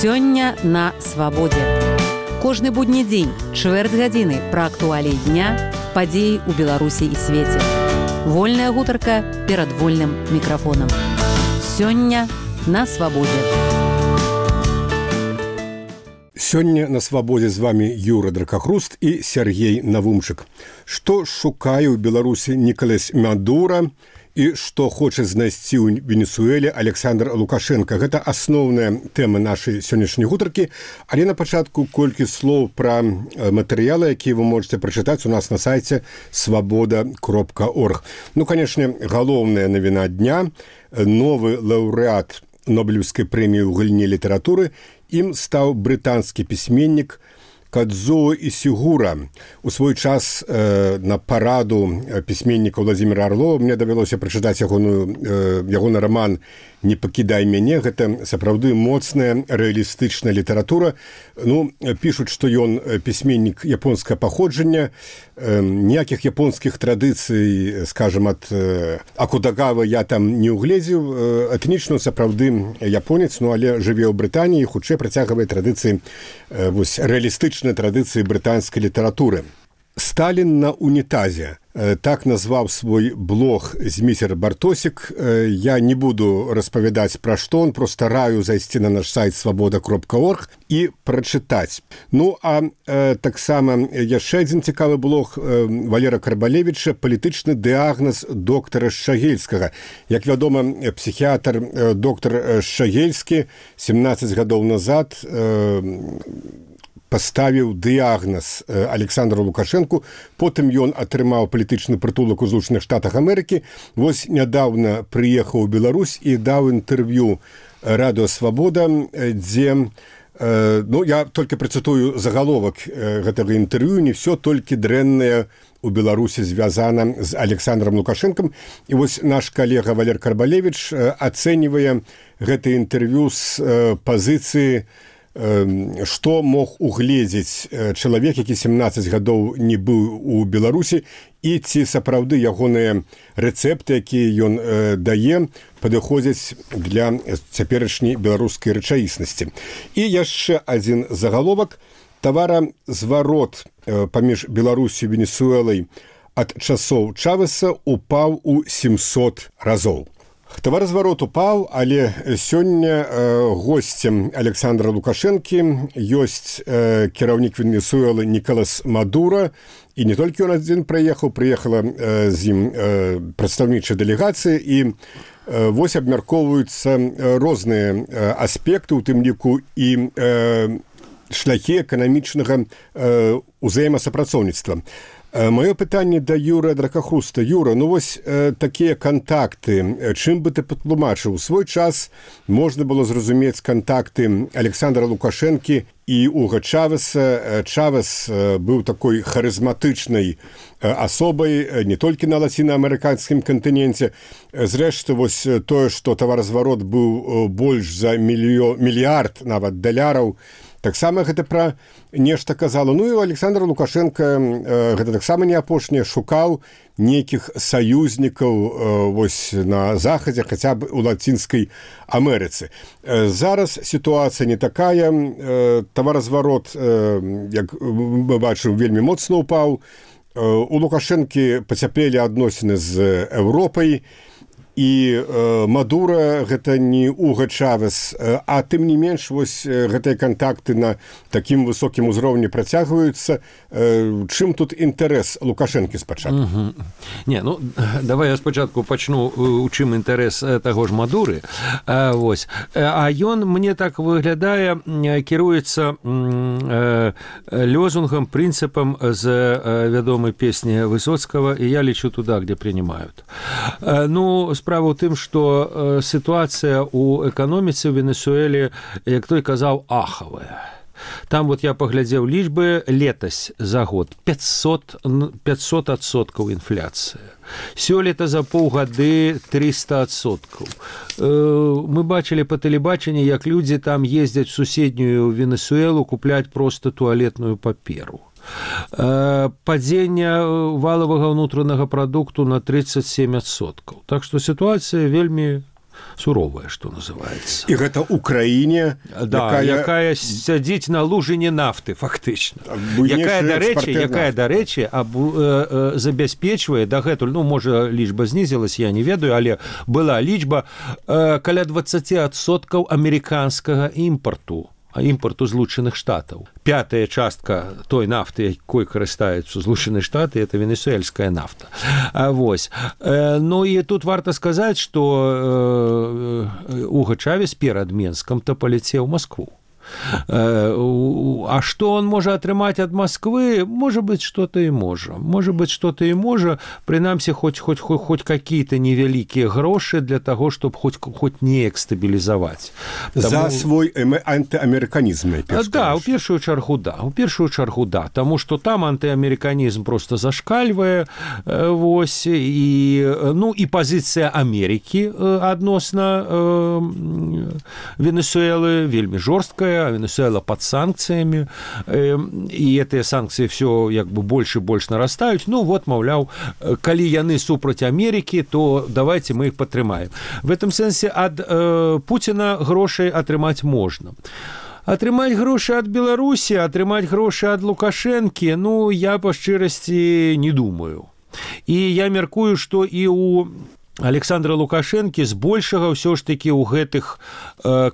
Сёння на свабодзе. Кожны будні дзень, чвэрць гадзіны пра актуаліі дня, падзеі ў Беларусі і свеце. Вольная гутарка перад вольным мікрафонам. Сёння на свабодзе. Сёння на свабодзе з вами Юра Дракахруст і Сергей Навумчык. Што шукае ў Беларусі Нікалас Мадура і што хоча знайсці ў Венесуэле Александр Лукашенко. Гэта асноўная тэма нашай сённяшняй гутаркі, але на пачатку колькі слоў пра матэрыялы, якія вы можете прачытаць у нас на сайце свабода.орг. Ну, канешне, галоўная навіна дня. Новы лаўрэат Нобелевскай прэміі ў галіне літаратуры ім стаў брытанскі пісьменнік Кадзуо Ісігура. У свой час на параду пісьменніка Владзіміра Арлова мне давялося прачытаць ягоны раман «Не пакідай мяне». Гэта сапраўды моцная рэалістычная літаратура. Ну, пішуць, што ён пісьменнік японскага паходжання, ніякіх японскіх традыцый, скажем, ад Акудагавы я там не угледзеў. Этнічна сапраўды японец, ну, але жыве ў Брытаніі, хутчэй працягвае традыцыі, рэалістычныя традыцыі брытанскай літаратуры. «Сталін на унітазе». Так назваў свой блог Зміцер Бартосік. Я не буду распавядаць пра што, он просто раю зайсці на наш сайт свабода.орг і прачытаць. Ну, а таксама яшчэ адзін цікавы блог Валера Карбалевіча «Палітычны дыягназ доктара Шагельскага». Як вядома, псіхіятр доктар Шагельскі 17 гадоў назад паставіў дыягназ Александру Лукашенку, потым ён атрымаў палітычны прытулак у Злучаных Штатах Амерыкі. Вось нядаўна прыехаў у Беларусь і даў інтэрв'ю радыё «Свабода», дзе, ну, я толькі працытую загаловак гэтага інтэрв'ю, не ўсё толькі дрэннае у Беларусі звязана з Александром Лукашенкам. І вось наш калега Валер Карбалевіч ацэньвае гэта інтэрв'ю з пазіцыі, што мог угледзець чалавек, які 17 гадоў не быў у Беларусі, і ці сапраўды ягоныя рэцэпты, якія ён дае, падыходзяць для цяперашняй беларускай рэчаіснасці. І яшчэ адзін загаловак. Таваразварот паміж Беларусю і Венесуэлай ад часоў Чавеса упаў у 700 разоў. Таваразварот упаў, але сёння госцем Александра Лукашэнкі ёсць кіраўнік Венесуэлы Нікалас Мадура, і не толькі ён адзін прыехала з ім прадстаўнічая дэлегацыя, і вось абмяркоўваюцца розныя аспекты, у тым ліку і шляхі эканамічнага ўзаемасупрацоўніцтва. Маё пытанне да Юры Дракахруста. Юра, ну вось такія кантакты, чым бы ты патлумачыў? У свой час можна было зразумець кантакты Александра Лукашэнкі і Уга Чавеса. Чавес быў такой харызматычнай асобай не толькі на лацінаамерыканскім кантыненце. Зрэшты, вось тое, што таваразварот быў больш за мільярд нават даляраў, таксама гэта пра нешта казала. Ну і Александр Лукашенко гэта таксама не апошняе, шукаў нейкіх саюзнікаў вось на захадзе, хаця б у Лацінскай Амерыцы. Зараз сітуацыя не такая. Таваразварот, як мы бачым, вельмі моцна ўпаў. У Лукашэнкі пацяплелі адносіны з Еўропай, і Мадура гэта не Уга Чавес, а тым не менш вось гэтыя кантакты на такім высокім узроўні працягваюцца. Чым тут інтарэс Лукашэнкі спачатку? Не, ну давай я спачатку пачну, у чым інтарэс таго ж Мадуры. Вось. А ён, мне так выглядае, кіруецца лозунгам, прынцыпам з вядомай песні Высоцкага «И я лечу туда, где принимают». Ну, справа ў тым, што сітуацыя ў эканоміцы ў Венесуэле, як той казаў, ахавая. Там вот я паглядзеў лічбы, летась за год 500% інфляцыя. Сёлета за паўгады 300%. Мы бачылі па тэлебачанні, як людзі там ездзяць у суседнюю Венесуэлу купляць проста туалетную паперу. Падзення валавага ўнутранага прадукту на 37%. Так што сітуацыя вельмі суровая, што называецца. І гэта ўкраіне, якая сядзіць на лужыне нафты фактычна. Якая, дарэчы, забяспечвае дагэтуль, можа, лічба знізілася, я не ведаю, але была лічба каля 20% амерыканскага імпарту Злучаных Штатаў. 5-я частка той нафты, якой карыстаюцца Злучаныя Штаты, это венесуэльская нафта. Вось. Ну і тут варта сказаць, што Уго Чавес перад Менскам-то паляцеў у Маскву. А что он может атрымаць ад Москвы? Может быть, что-то и может. Может быть, что-то и может. Принамсі, хоть какие-то невялікія грошы для того, чтобы хоть неяк стабілізаваць. За свой антиамериканизм. Да, у першую чаргу, да. Тому что там антиамериканизм просто зашкальвае. Вось, и позиция Америки адносна Венесуэлы вельмі жорсткая. Венесуэла под санкциями, и эти санкции все больше и больше нарастают. Маўляў, калі яны супраць Америки, то давайте мы их падтрымаем. В этом сэнсе ад Путина грошай атрымаць можна. Атрымаць грошы ад Беларусі, атрымаць грошы ад Лукашэнкі, я па шчырасці не думаю. І я мяркую, што і у Александра Лукашэнкі збольшага ўсё ж такі ў гэтых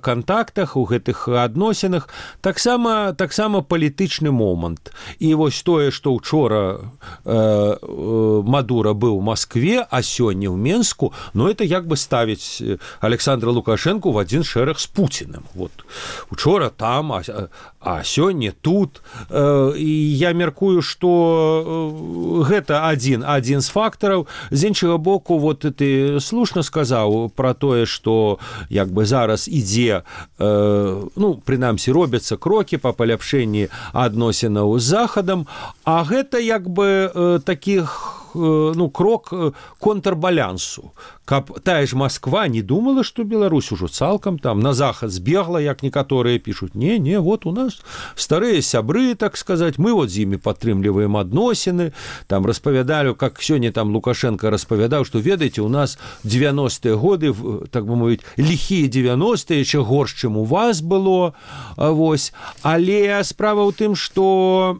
кантактах, у гэтых адносінах таксама палітычны момант. І вось тое, што ўчора Мадура быў у Маскве, а сёння ў Менску, это ставіць Александра Лукашэнку в адзін шэраг з Пуціным. Вот. Учора там, а сёння тут. І я мяркую, што гэта адзін з фактараў. З іншага боку, ты слушна сказаў пра тое, што зараз ідзе, прынамсі робяцца крокі па паляпшэнні адносінаў з Захадам, а гэта такіх крок контрбалянсу. Каб тая ж Москва не думала, што Беларусь ужо цалкам там на захад збегла, як некаторыя пішуць. Не, вот у нас старыя сябры, так сказаць, мы вот з імі падтрымліваем адносіны. Там распавядалі, как сёння там Лукашенко распавядаў, што ведаеце, у нас 90-е годы, так бы мовіць, ліхія 90-е, яшчэ горш, чым у вас было. Вось. Але справа ў тым, што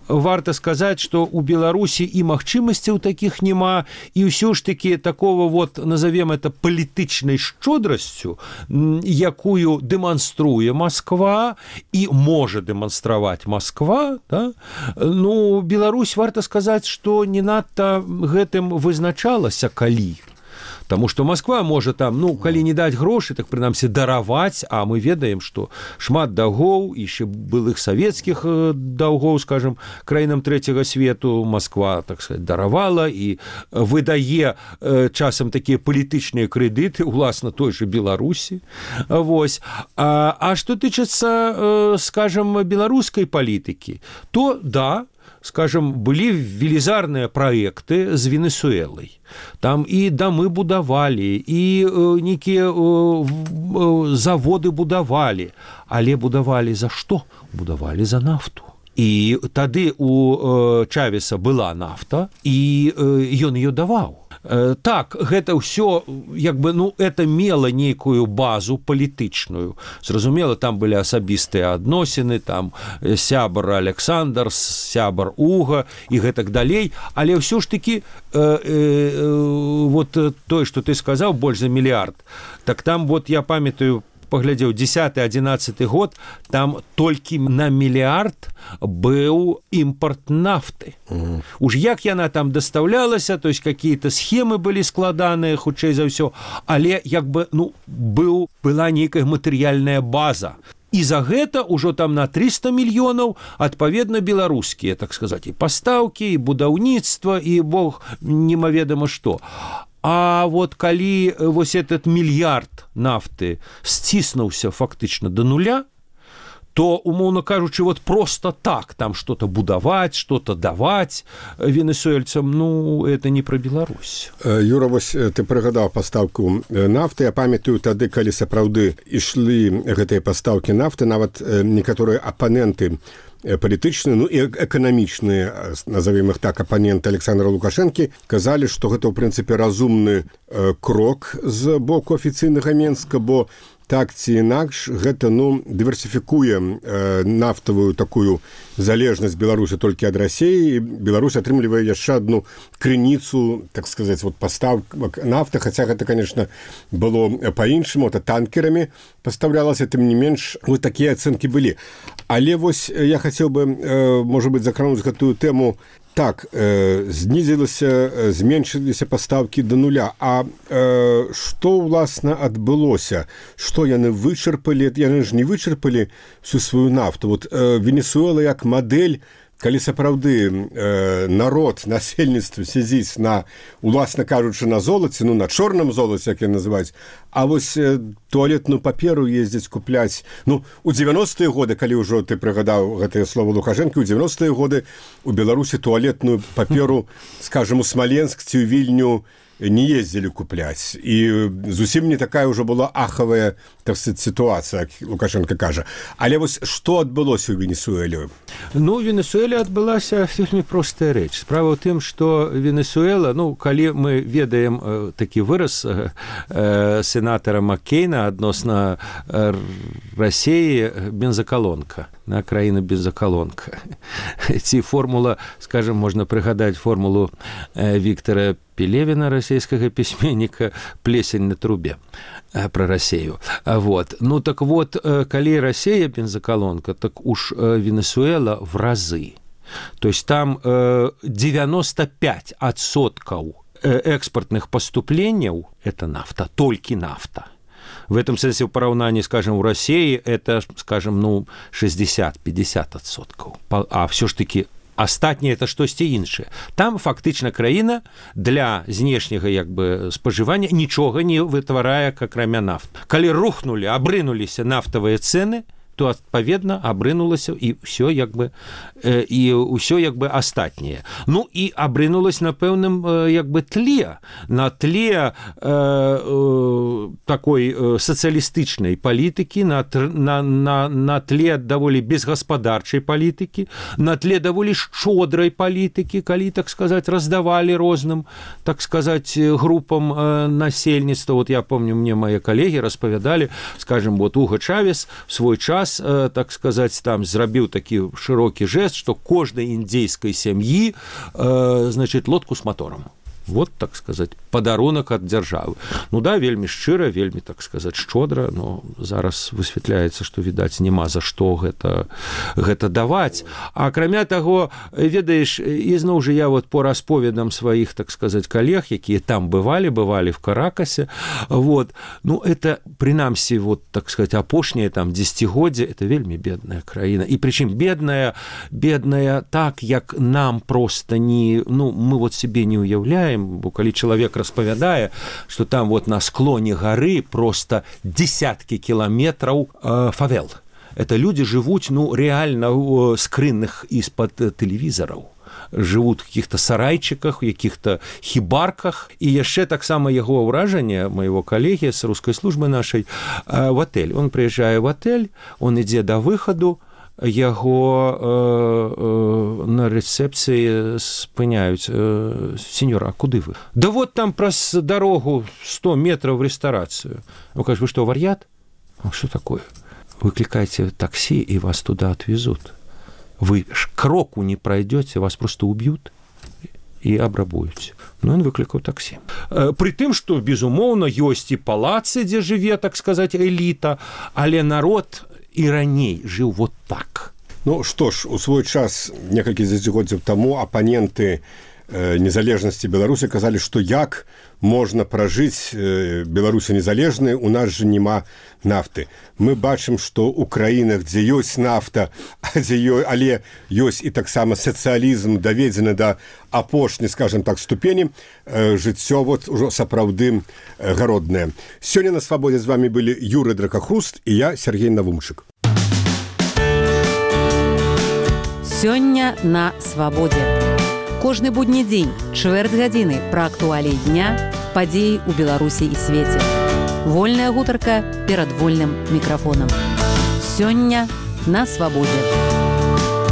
варта сказаць, што у Беларусі і магчымасцяў такіх няма, і ўсё ж такі такого назовем это палітычнай шчодрасцю, якую дэманструе Москва і можа дэманстраваць Москва, да? Беларусь, варта сказаць, што не надта гэтым вызначалася калі. Таму што Москва можа там, калі не даць грошы, так прынамсі дараваць, а мы ведаем, што шмат даўгоў, яшчэ былых савецкіх даўгоў, скажем, краінам трэцяга свету Москва, так сказать, даравала і выдае часам такія палітычныя крэдыты, уласна той же Беларусі. Вось. А што тычыцца, скажем, беларускай палітыкі, то да, скажем, былі велізарныя праекты з Венесуэлай. Там і дамы будавалі, і нейкія заводы будавалі. Але будавалі за што? Будавалі за нафту. І тады у Чавеса была нафта, і ён ее даваў. Так, гэта ўсё, это мела нейкую базу палітычную. Зразумела, там былі асабістыя адносіны, там сябар Александр, сябар Уга і гэтак далей, але ўсё ж такі тое, што ты сказаў, больш за мільярд, так там, я памятаю, паглядзеў, 10-11 год, там толькі на мільярд быў імпорт нафты. Уж як яна там дастаўлялася, то есть какие-то схемы былі складаныя, хутчэй за ўсё, але была нейкая матэрыяльная база. І за гэта ўжо там на 300 мільёнаў адпаведна беларускія, так сказаць, і пастаўкі, і будаўніцтва, і бог немаведама што. А калі этот мільярд нафты сціснуўся фактычна до нуля, то, умоўно кажучы, просто так там что-то будаваць, что-то даваць венесуэльцам, это не про Беларусь. Юра, ты прыгадаў пастаўку нафты. Я памятаю тады, калі сапраўды ішлі гэтыя пастаўкі нафты, нават некаторыя апаненты палітычныя, ну і эканамічныя, назовем их так, апаненты Александра Лукашэнкі казалі, што гэта ў прынцыпе разумны крок з боку афіцыйнага Менска, бо так ці інакш гэта дыверсіфікуе нафтавую такую залежнасць Беларусі толькі ад Расіі, і Беларусь атрымлівае яшчэ адну крыніцу, так сказаць, пастаўак нафты, хаця гэта, конечно, было па-іншаму, это танкерамі пастаўлялася, тым не менш, такія ацэнкі былі. Але вось я хацеў бы, можа быць, закрануць гэтую тэму. Так, зменшыліся пастаўкі да нуля. А што, ўласна, адбылося? Што яны вычарпалі? Яны ж не вычарпалі всю сваю нафту. Венесуэла як мадэль, калі сапраўды народ, насельніцтва сядзіць на, уласна кажучы, на золаце, на чорным золаце, як яны называюць, а вось туалетную паперу ездзіць купляць. У 90-е годы, калі ўжо ты прыгадаў гэтае слово Лукашэнкі, у 90-е годы у Беларусі туалетную паперу, скажем, у Смоленск ці ў Вільню не ездзілі купляць. І зусім не такая ўжо была ахавая, так сказать, ситуация, Лукашенко кажа. Але вось што адбылося ў Венесуэле? У Венесуэле адбылася вельмі простая рэч. Справа ў тым, што Венесуэла, калі мы ведаем такі выраз сенатара Маккейна адносна Расіі, бензакалонка, краіна бензакалонка. Ці формула, скажем, можна прыгадаць формулу Віктора Пелевіна, расійскага пісьменніка, «Плесень на трубе» про Расію. Так вот, калі Расія бензакалонка, так уж Венесуэла в разы. То есть там 95% экспортных поступлений – это нафта, только нафта. В этом смысле в параўнанні, скажем, у России это, скажем, 60-50%. А все ж таки астатняе это штосьці іншае. Там фактычна краіна для знешняга спажывання нічога не вытварае, акрамя нафты. Калі рухнулі, абрынуліся нафтавыя цэны, то адпаведна абрынулася і ўсё астатняе. І абрынулась на пэўным тле, на тле такой сацыялістычнай палітыкі, на тле даволі безгаспадарчай палітыкі, на тле даволі шчодрай палітыкі, калі, так сказаць, раздавалі розным, так сказаць, групам насельніцтва. Я помню, мне мои калегі распавядалі, скажем, Уго Чавес в свой час, так сказать, там зрабіў такі шырокі жест, што кожнай індзейскай сям'і, лодку с мотором. Вот, так сказать, падарунак ад дзяржавы. Вельмі шчыра, вельмі, так сказаць, шчодра, но зараз высвятляецца, што, відаць, няма за што гэта даваць. А акрамя таго, ведаеш, ізноў жа я по расповедам сваіх, так сказаць, калег, якія там бывалі в Каракасе, это, прынамсі, так сказаць, апошняе там дзесяцігоддзе, это вельмі бедная краіна. І прычым бедная так, як нам проста не, мы себе не уяўляем, бо калі чалавек распавядае, што там на склоне гары просто десяткі кіламетраў фавел. Это люди жывуць, реально скрынных из-под тэлевізараў. Жывуць в каких-то сарайчыках, в каких-то хібарках. І яшчэ таксама яго ўражанне, моего калегі з рускай службы нашай, в отель. Он прыязджае в отель, он ідзе да выхаду, яго на рэцэпцыі спыняюць: сеньор, а куды вы? Да там праз дарогу 100 метров в ресторацию. Он кажет: вы что, вар'ят? А что такое? Выкликайте такси, и вас туда отвезут. Вы кроку не пройдете, вас просто убьют и абрабуюць. Он выклікаў таксі. Пры тым, што, безумоўна, ёсць і палацы, дзе жыве, так сказаць, эліта, але народ і раней жыў так. Што ж, у свой час, некалькі дзесяцігоддзяў таму, апаненты незалежнасці Беларусі казалі, што як можна пражыць Беларусі незалежнай, у нас жа няма нафты. Мы бачым, што ў краінах, дзе ёсць нафта, але ёсць і таксама сацыялізм, даведзены да апошняй, скажем так, ступені, жыццё ужо сапраўды гароднае. Сёння на Свабодзе з вами былі Юрый Дракахруст і я, Сергей Навумчык. Сёння на Свабодзе. Кожны будні дзень, чвэрць гадзіны пра актуаліі дня, падзеі ў Беларусі і свеце. Вольная гутарка перад вольным мікрафонам. Сёння на Свабодзе.